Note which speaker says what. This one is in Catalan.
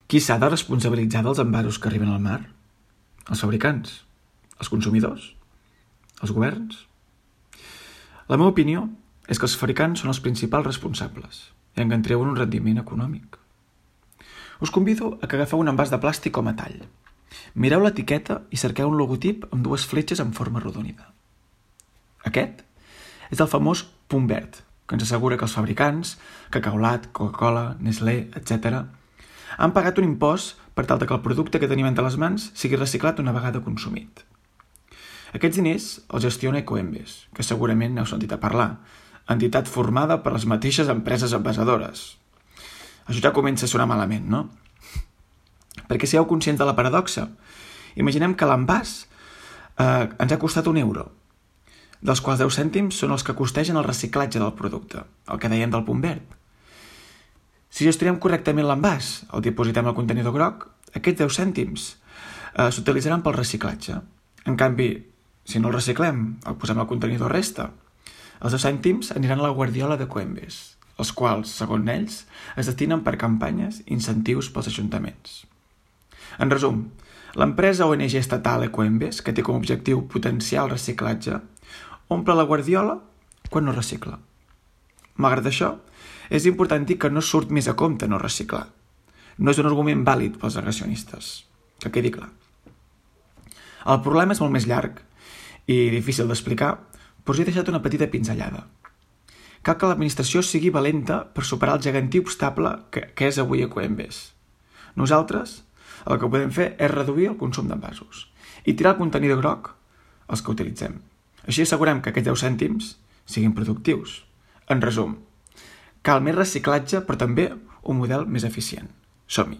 Speaker 1: Qui s'ha de responsabilitzar dels envasos que arriben al mar? Els fabricants? Els consumidors? Els governs? La meva opinió és que els fabricants són els principals responsables i en treuen un rendiment econòmic. Us convido a que agafeu un envàs de plàstic o metall. Mireu l'etiqueta i cerqueu un logotip amb dues fletxes en forma arrodonida. Aquest és el famós punt verd, que ens assegura que els fabricants, Cacaulat, Coca-Cola, Nestlé, etc., han pagat un impost per tal que el producte que tenim entre les mans sigui reciclat una vegada consumit. Aquests diners els gestiona Ecoembes, que segurament n'heu sentit a parlar, entitat formada per les mateixes empreses envasadores. Això ja comença a sonar malament, no? Perquè sigueu conscients de la paradoxa. Imaginem que l'envàs ens ha costat €1, dels quals 10 cèntims són els que costegen el reciclatge del producte, el que dèiem del punt verd. Si gestionem correctament l'envàs, el dipositem al contenidor groc, aquests 10 cèntims s'utilitzaran pel reciclatge. En canvi, si no el reciclem, el posem al contenidor resta, els 10 cèntims aniran a la guardiola de Ecoembes, els quals, segons ells, es destinen per campanyes i incentius pels ajuntaments. En resum, l'empresa ONG estatal Ecoembes, que té com a objectiu potenciar el reciclatge, omple la guardiola quan no recicla. Malgrat això, és important dir que no surt més a compte no reciclar. No és un argument vàlid pels negacionistes, que quedi clar. El problema és molt més llarg i difícil d'explicar, però us he deixat una petita pinzellada. Cal que l'administració sigui valenta per superar el gegantí obstacle que és avui Ecoembes. Nosaltres el que podem fer és reduir el consum d'envasos i tirar el contenidor groc els que utilitzem. Així assegurem que aquests 10 cèntims siguin productius. En resum, cal més reciclatge però també un model més eficient. Som-hi!